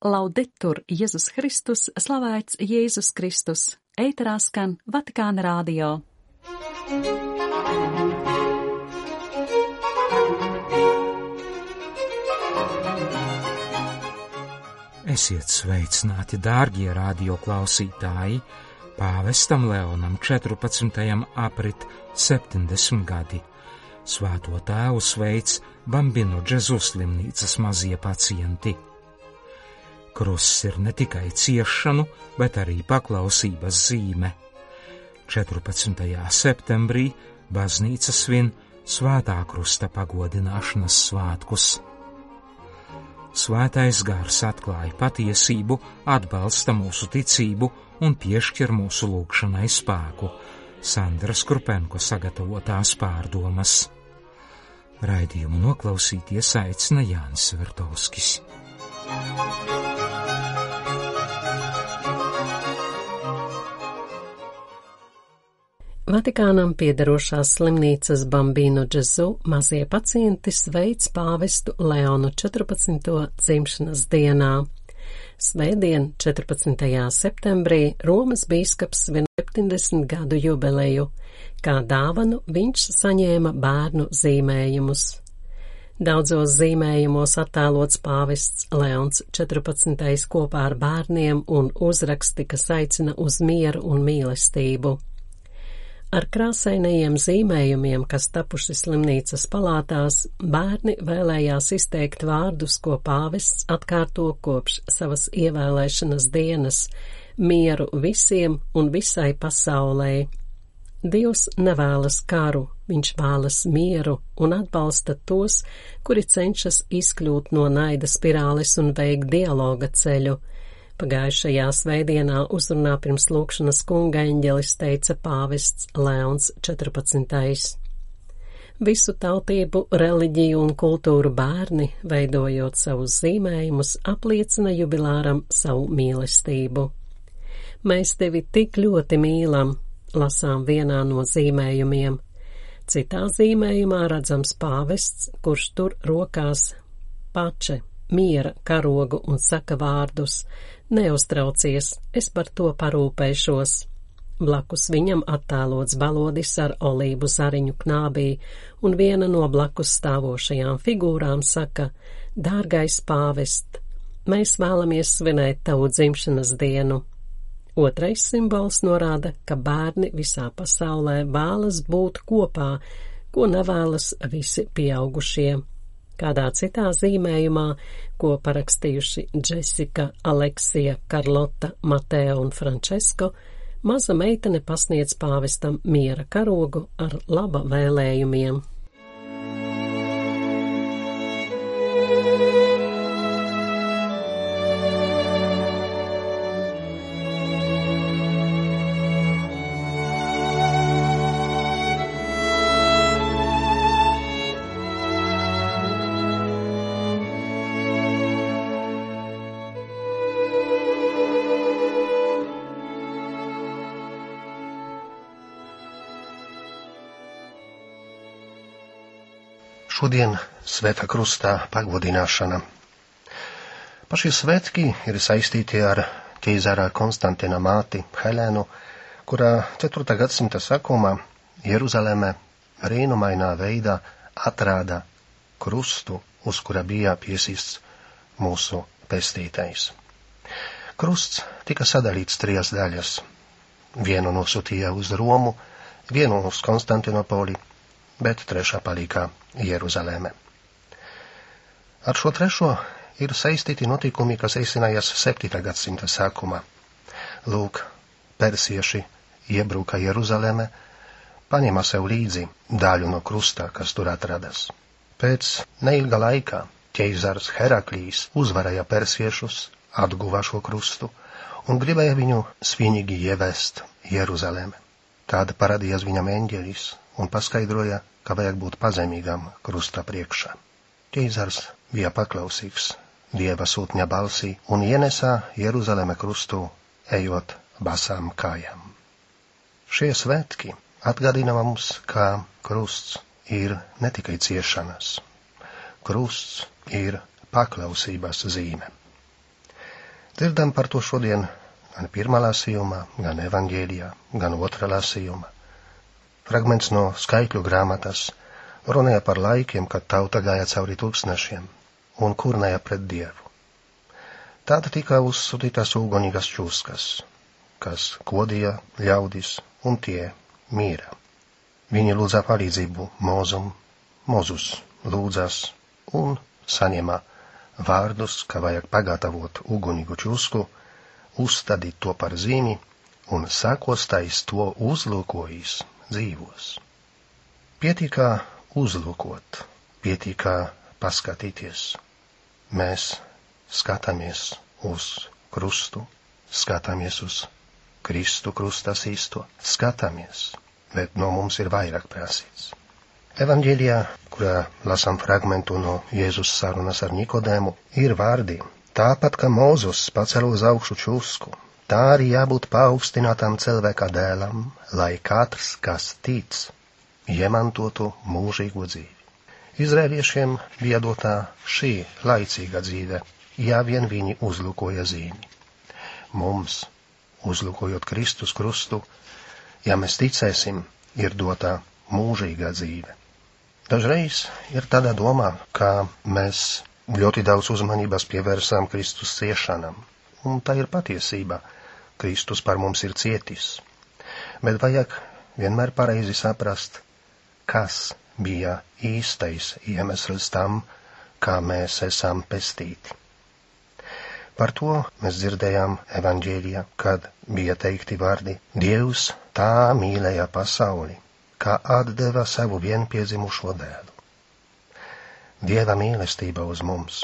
Laudetur Jēzus Kristus, slavēts Jēzus Kristus. Ēterā skan Vatikāna radio. Esiet sveicināti, dārgie radio klausītāji! Pāvestam Leonam 14. aprit 70 gadi. Svēto tēvu sveic Bambino Gesù slimnīcas mazie pacienti. Krusts ir ne tikai ciešanu, bet arī paklausības zīme. 14. septembrī baznīca svin Svētā krusta pagodināšanas svētkus. Svētais gars atklāja patiesību, atbalsta mūsu ticību un piešķir mūsu lūgšanai spēku. Sandra Skrupenko sagatavotās pārdomas. Raidījumu noklausīties aicina Jānis Vertovskis. Vatikānam piederošās slimnīcas Bambino Gesù mazie pacienti sveic pāvestu Leonu 14. dzimšanas dienā. Svētdien, 14. septembrī, Romas bīskaps svin 70 gadu jubileju. Kā dāvanu viņš saņēma bērnu zīmējumus. Daudzos zīmējumos attēlots pāvests Leons 14. kopā ar bērniem un uzraksti, kas aicina uz mieru un mīlestību. Ar krāsainajiem zīmējumiem, kas tapuši slimnīcas palātās, bērni vēlējās izteikt vārdus, ko pāvests atkārto kopš savas ievēlēšanas dienas – mieru visiem un visai pasaulē. Dievs nevēlas karu, viņš vēlas mieru un atbalsta tos, kuri cenšas izkļūt no naida spirāles un veikt dialoga ceļu. Pagājušajā svētdienā uzrunā pirms lūgšanas kunga eņģelis teica pāvests Leons 14. Visu tautību, reliģiju un kultūru bērni, veidojot savus zīmējumus, apliecina jubilāram savu mīlestību. Mēs tevi tik ļoti mīlam, lasām vienā no zīmējumiem. Citā zīmējumā redzams pāvests, kurš tur rokās pače, miera karogu un saka vārdus: neuztraucies, es par to parūpēšos. Blakus viņam attēlots balodis ar olīvu zariņu knābī, un viena no blakus stāvošajām figūrām saka: dārgais pāvest, mēs vēlamies svinēt tavu dzimšanas dienu. Otrais simbols norāda, ka bērni visā pasaulē vēlas būt kopā, ko nevēlas visi pieaugušie. Kādā citā zīmējumā, ko parakstījuši Jessica, Aleksija, Karlota, Mateo un Francesko, maza meitene pasniedz pāvestam miera karogu ar laba vēlējumiem. Šodien Svētā krustā pagodināšana. Pašie svētki ir saistīti ar ķeizara Konstantina māti Helēnu, kurā 4. gadsimta sākumā Jeruzaleme brīnumainā veidā atrāda krustu, uz kura bija piesists mūsu pestītais. Krusts tika sadalīts 3 daļas. Vienu nosūtīja uz Romu, vienu uz Konstantinopoli, bet 3. palika Jeruzaleme. Ar šo 3. ir saistīti notikumi, kas risinājās 7. gadsimta sākumā. Lūk, persieši iebruka Jeruzaleme, paņēma sev līdzi daļu no krusta, kas tur atradas. Pēc neilga laika ķeizars Heraklijs uzvarēja persiešus, atguva šo krustu un gribēja viņu svinīgi ievest Jeruzaleme. Tad parādījās viņam eņģelis un paskaidroja, ka vajag būt pazemīgam krusta priekšā. Ķeizars bija paklausīgs Dieva sūtņa balsī un ienesā Jeruzaleme krustu, ejot basām kājām. Šie svētki atgādina mums, ka krusts ir ne tikai ciešanas. Krusts ir paklausības zīme. Dzirdam par to šodien gan pirmā lasījumā, gan evaņģēlijā, gan otrā lasījumā. Fragments no skaitļu grāmatas runāja par laikiem, kad tauta gāja cauri tūkstnešiem un kurnēja pret Dievu. Tāda tika uzsūtītas ugunīgas čūskas, kas kodīja ļaudis, un tie mīra. Viņi lūdza palīdzību Mozum, Mozus lūdzas un saņēma vārdus, ka vajag pagatavot ugunīgu čūsku, uzstādīt to par zīmi un sakostais to uzlūkojis dzīvos. Pietika uzlūkot, pietika paskatīties. Mēs skatāmies uz krustu, skatāmies uz Kristu krustas īsto, skatāmies, bet no mums ir vairāk prasīts. Evaņģēlijā, kurā lasām fragmentu no Jēzus sarunas ar Nikodēmu, ir vārdi: tāpat kā Mozus pacēla uz augšu čūsku, tā arī jābūt paaugstinātam cilvēka dēlam, lai katrs, kas tic, iemantotu mūžīgo dzīvi. Izraēliešiem bija dotā šī laicīga dzīve, ja vien viņi uzlūkoja zīmi. Mums, uzlūkojot Kristus krustu, ja mēs ticēsim, ir dotā mūžīgā dzīve. Dažreiz ir tāda domā, ka mēs ļoti daudz uzmanības pievērsām Kristus ciešanam, un tā ir patiesība. Kristus par mums ir cietis. Bet vajag vienmēr pareizi saprast, kas bija īstais iemesls tam, kā mēs esam pestīti. Par to mēs dzirdējām evaņģēlijā, kad bija teikti vārdi: Dievs tā mīlēja pasauli, kā atdeva savu vienpiedzimušo dēlu. Dieva mīlestība uz mums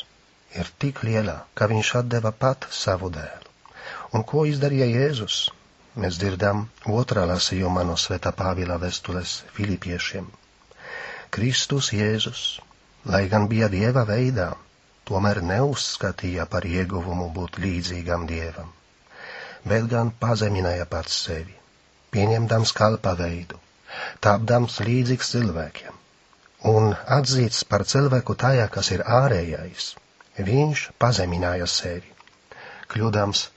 ir tik liela, ka viņš atdeva pat savu dēlu. Un ko izdarīja Jēzus? Mēs dzirdam otrā lasījumā no Svētā Pāvila vēstules Filipiešiem. Kristus Jēzus, lai gan bija Dieva veidā, tomēr neuzskatīja par ieguvumu būt līdzīgam Dievam, bet gan pazemināja pats sevi, pieņemdams kalpa veidu, tāpdams līdzīgs cilvēkiem, un atzīts par cilvēku tajā, kas ir ārējais, viņš pazemināja sevi, kļūdams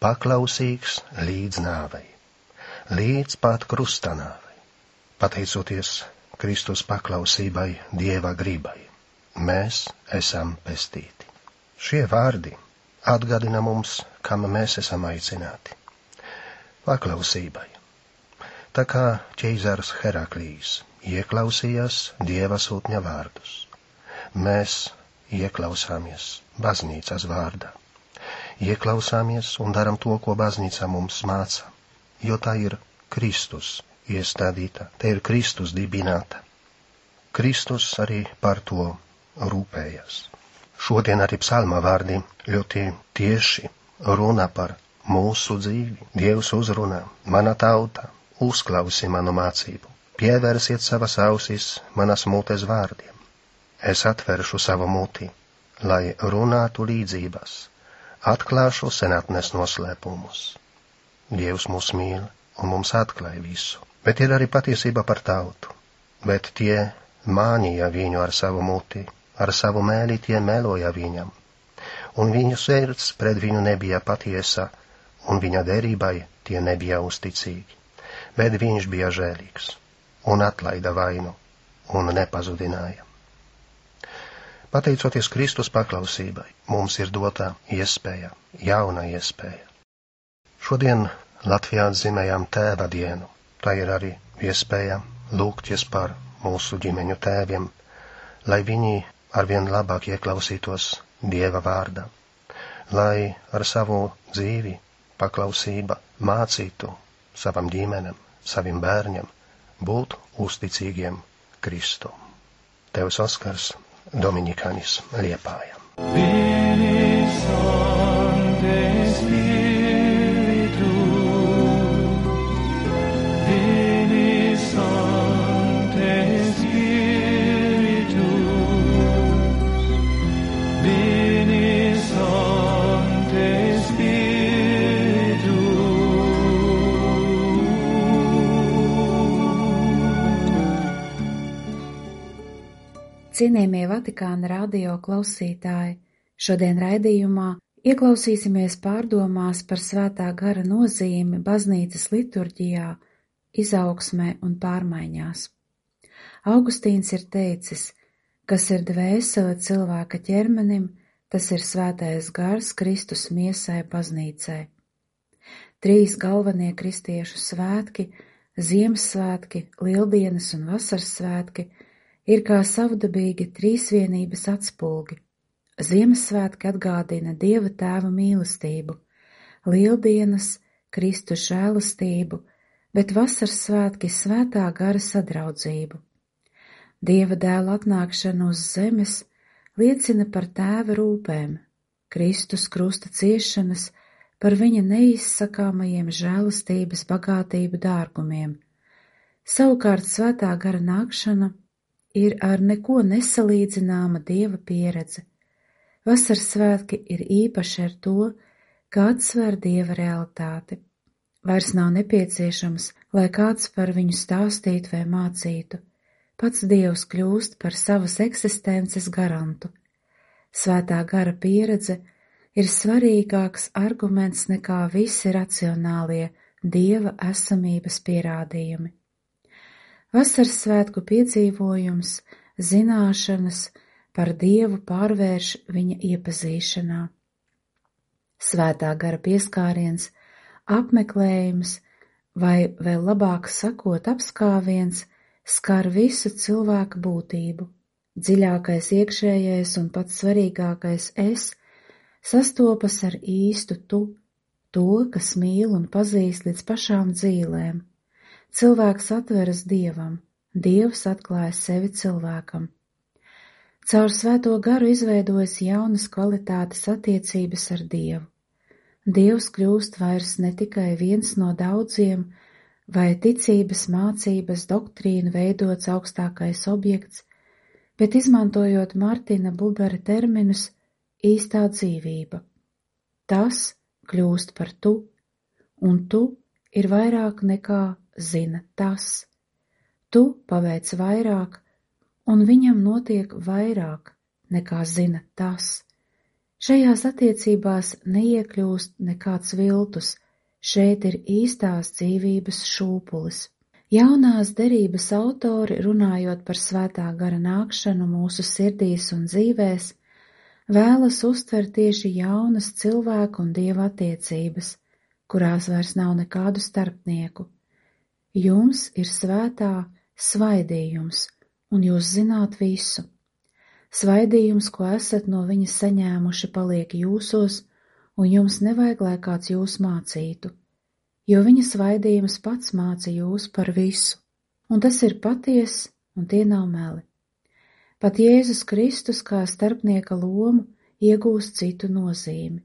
paklausīgs līdz nāvei, līdz pat krusta nāvei. Pateicoties Kristus paklausībai Dieva gribai, mēs esam pestīti. Šie vārdi atgādina mums, kam mēs esam aicināti. Paklausībai. Tā kā ķeizars Heraklijs ieklausījās Dieva sūtņa vārdus, mēs ieklausāmies baznīcas vārdā. Ieklausāmies un daram to, ko baznīca mums māca, jo tā ir Kristus iestādīta, tā ir Kristus dibināta. Kristus arī par to rūpējas. Šodien arī psalma vārdi ļoti tieši runā par mūsu dzīvi. Dievs uzrunā: mana tauta, uzklausi manu mācību, pievērsiet savas ausis manas mutes vārdiem. Es atveršu savu muti, lai runātu līdzības, atklāšu senatnes noslēpumus. Dievs mūs mīl un mums atklāja visu, bet ir arī patiesība par tautu. Bet tie mānīja viņu ar savu muti, ar savu mēli tie meloja viņam, un viņu sirds pret viņu nebija patiesa, un viņa derībai tie nebija uzticīgi. Bet viņš bija žēlīgs, un atlaida vainu, un nepazudināja. Pateicoties Kristus paklausībai, mums ir dotā iespēja, jauna iespēja. Šodien Latvijā atzīmējām Tēva dienu. Tā ir arī iespēja lūgties par mūsu ģimeņu tēviem, lai viņi arvien labāk ieklausītos Dieva vārdā, lai ar savu dzīvi, paklausība mācītu savam ģimenem, saviem bērņiem būt uzticīgiem Kristum. Tevs Oskars, Dominikānis, Liepāja. Cienījamie Vatikāna radio klausītāji, šodien raidījumā Ieklausīsimies pārdomās par Svētā gara nozīmi baznīcas liturģijā, izaugsmē un pārmaiņās. Augustīns ir teicis, kas ir dvēsele cilvēka ķermenim, tas ir Svētais gars Kristus miesai baznīcai. 3 galvenie kristiešu svētki, Ziemassvētki, Lieldienas un Vasaras svētki, ir kā savdabīgi trīsvienības atspulgi. Ziemassvētki atgādina Dieva Tēva mīlestību, Lieldienas Kristus žēlastību, bet Vasaras svētki Svētā gara sadraudzību. Dieva dēla atnākšana uz zemes liecina par Tēva rūpēm, Kristus krusta ciešanas, par viņa neizsakāmajiem žēlastības bagātību dārgumiem. Savukārt Svētā gara nākšana ir ar neko nesalīdzināma Dieva pieredze. Vasaras svētki ir īpaši ar to, ka atsver Dieva realitāti. Vairs nav nepieciešams, lai kāds par viņu stāstītu vai mācītu. Pats Dievs kļūst par savas eksistences garantu. Svētā gara pieredze ir svarīgāks arguments nekā visi racionālie Dieva esamības pierādījumi. Vasaras svētku piedzīvojums, zināšanas par Dievu pārvērš viņa iepazīšanā. Svētā gara pieskāriens, apmeklējums vai vēl labāk sakot apskāviens skar visu cilvēka būtību. Dziļākais iekšējais un pats svarīgākais es sastopas ar īstu tu, to, kas mīl un pazīst līdz pašām dzīlēm. Cilvēks atveras Dievam, Dievs atklāja sevi cilvēkam. Caur Svēto garu izveidojas jaunas kvalitātes attiecības ar Dievu. Dievs kļūst vairs ne tikai viens no daudziem, vai ticības mācības doktrīnu veidots augstākais objekts, bet izmantojot Martina Bubera terminus, īstā dzīvība. Tas kļūst par tu, un tu ir vairāk nekā zina tas. Tu paveic vairāk, un viņam notiek vairāk nekā zina tas. Šajās attiecībās neiekļūst nekāds viltus, šeit ir īstās dzīvības šūpulis. Jaunās derības autori, runājot par Svētā gara nākšanu mūsu sirdīs un dzīvēs, vēlas uztvert tieši jaunas cilvēku un Dieva attiecības, kurās vairs nav nekādu starpnieku. Jums ir svētā svaidījums, un jūs zināt visu. Svaidījums, ko esat no viņa saņēmuši, paliek jūsos, un jums nevajag, lai kāds jūs mācītu, jo viņa svaidījums pats māca jūs par visu, un tas ir patiess, un tie nav meli. Pat Jēzus Kristus kā starpnieka lomu iegūst citu nozīmi.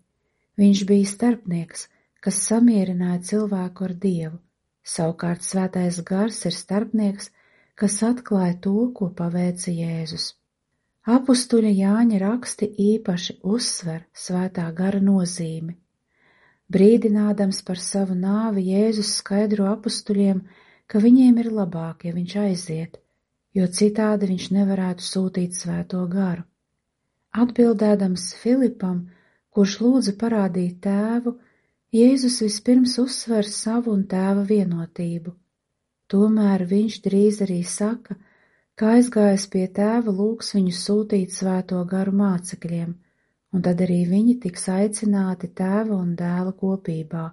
Viņš bija starpnieks, kas samierināja cilvēku ar Dievu. Savukārt Svētais gars ir starpnieks, kas atklāja to, ko paveica Jēzus. Apustuļa Jāņa raksti īpaši uzsver Svētā gara nozīmi. Brīdinādams par savu nāvi, Jēzus skaidro apustuļiem, ka viņiem ir labāk, ja viņš aiziet, jo citādi viņš nevarētu sūtīt Svēto garu. Atbildēdams Filipam, kurš lūdza parādīt Tēvu, Jēzus vispirms uzsver savu un Tēva vienotību. Tomēr viņš drīz arī saka, ka aizgājis pie Tēva lūgs viņu sūtīt Svēto garu mācekļiem, un tad arī viņi tiks aicināti Tēva un Dēla kopībā.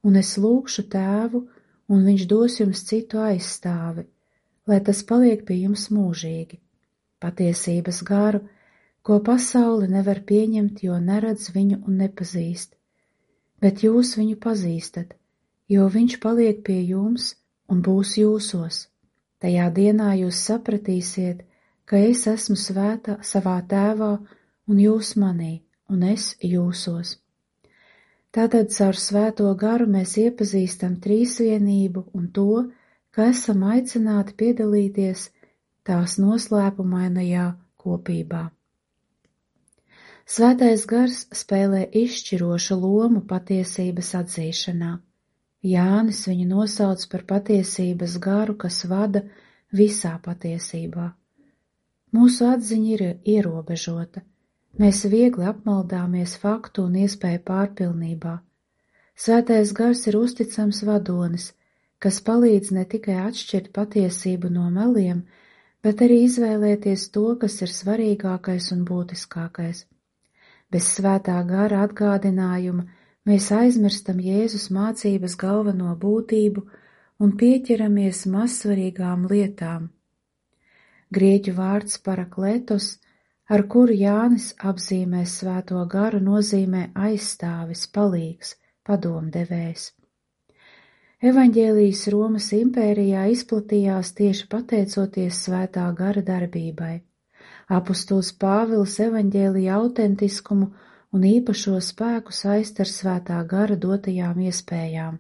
Un es lūgšu Tēvu, un viņš dos jums citu aizstāvi, lai tas paliek pie jums mūžīgi. Patiesības garu, ko pasaule nevar pieņemt, jo neredz viņu un nepazīst. Bet jūs viņu pazīstat, jo viņš paliek pie jums un būs jūsos. Tajā dienā jūs sapratīsiet, ka es esmu svētā savā Tēvā un jūs manī, un es jūsos. Tātad caur Svēto garu mēs iepazīstam trīsvienību un to, ka esam aicināti piedalīties tās noslēpumainajā kopībā. Svētais gars spēlē izšķirošu lomu patiesības atzīšanā. Jānis viņu nosauc par patiesības garu, kas vada visā patiesībā. Mūsu atziņa ir ierobežota, Mēs viegli apmaldāmies faktu un iespēju pārpilnībā. Svētais gars ir uzticams vadonis, kas palīdz ne tikai atšķirt patiesību no meliem, bet arī izvēlēties to, kas ir svarīgākais un būtiskākais. Bez svētā gara atgādinājuma mēs aizmirstam Jēzus mācības galveno būtību un pieķeramies mazsvarīgām lietām. Grieķu vārds parakletos, ar kuru Jānis apzīmē svēto garu, nozīmē aizstāvis, palīgs, padomdevējs. Evaņģēlijs Romas impērijā izplatījās tieši pateicoties svētā gara darbībai. Apostols Pāvils evaņģēlija autentiskumu un īpašo spēku saist ar svētā gara dotajām iespējām.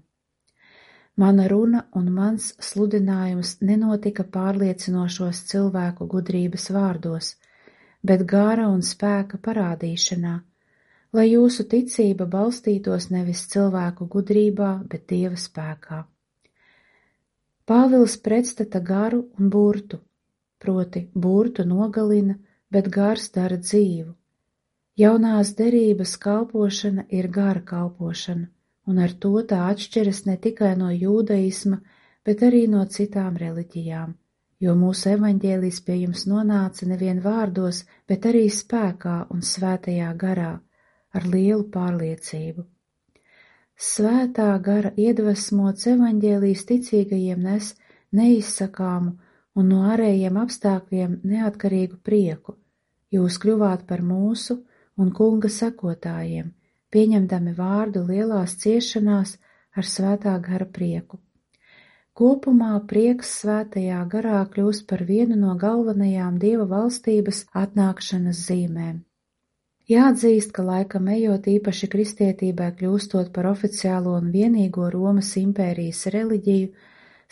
Mana runa un mans sludinājums nenotika pārliecinošos cilvēku gudrības vārdos, bet gara un spēka parādīšanā, lai jūsu ticība balstītos nevis cilvēku gudrībā, bet Dieva spēkā. Pāvils pretstata garu un burtu, proti burtu nogalina, bet gars dara dzīvu. Jaunās derības kalpošana ir gara kalpošana, un ar to tā atšķiras ne tikai no jūdaisma, bet arī no citām reliģijām, jo mūsu evaņģēlijs pie jums nonāca nevien vārdos, bet arī spēkā un svētajā garā, ar lielu pārliecību. Svētā gara iedvesmots evaņģēlijs ticīgajiem nes neizsakāmu un no ārējiem apstākļiem neatkarīgu prieku. Jūs kļuvāt par mūsu un kunga sekotājiem, pieņemdami vārdu lielās ciešanās ar svētā gara prieku. Kopumā prieks svētajā garā kļūst par vienu no galvenajām Dieva valstības atnākšanas zīmēm. Jāatzīst, ka laikam ejot īpaši kristietībai kļūstot par oficiālo un vienīgo Romas impērijas reliģiju,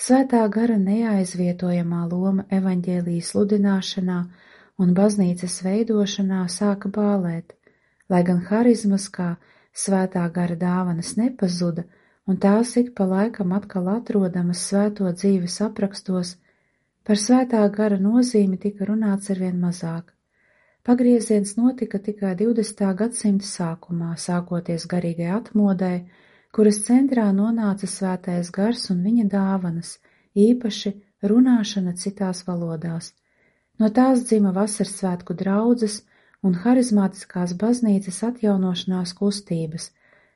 svētā gara neaizvietojamā loma evaņģēlija sludināšanā un baznīcas veidošanā sāka bālēt, lai gan harizmas kā svētā gara dāvanas nepazuda, un tās ik pa laikam atkal atrodamas svēto dzīves aprakstos, par svētā gara nozīmi tika runāts arvien mazāk. Pagrieziens notika tikai 20. gadsimta sākumā, sākoties garīgai atmodai, kuras centrā nonāca svētais gars un viņa dāvanas, īpaši runāšana citās valodās. No tās dzima vasarsvētku draudzes un harizmātiskās baznīcas atjaunošanās kustības,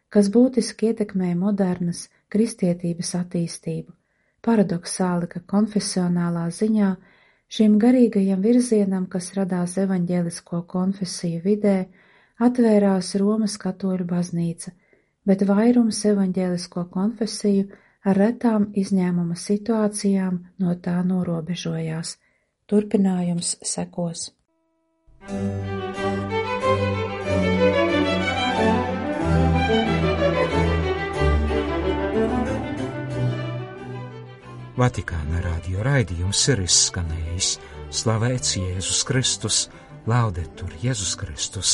kas būtiski ietekmēja modernas kristietības attīstību. Paradoksāli, ka konfesionālā ziņā šim garīgajam virzienam, kas radās evaņģēlisko konfesiju vidē, atvērās Romas katoļu baznīca, bet vairums evaņģēlisko konfesiju ar retām izņēmuma situācijām no tā norobežojās. Turpinājums sekos. Vatikāna radio raidījums ir izskanējis. Slavēts Jēzus Kristus, laudetur Jēzus Kristus.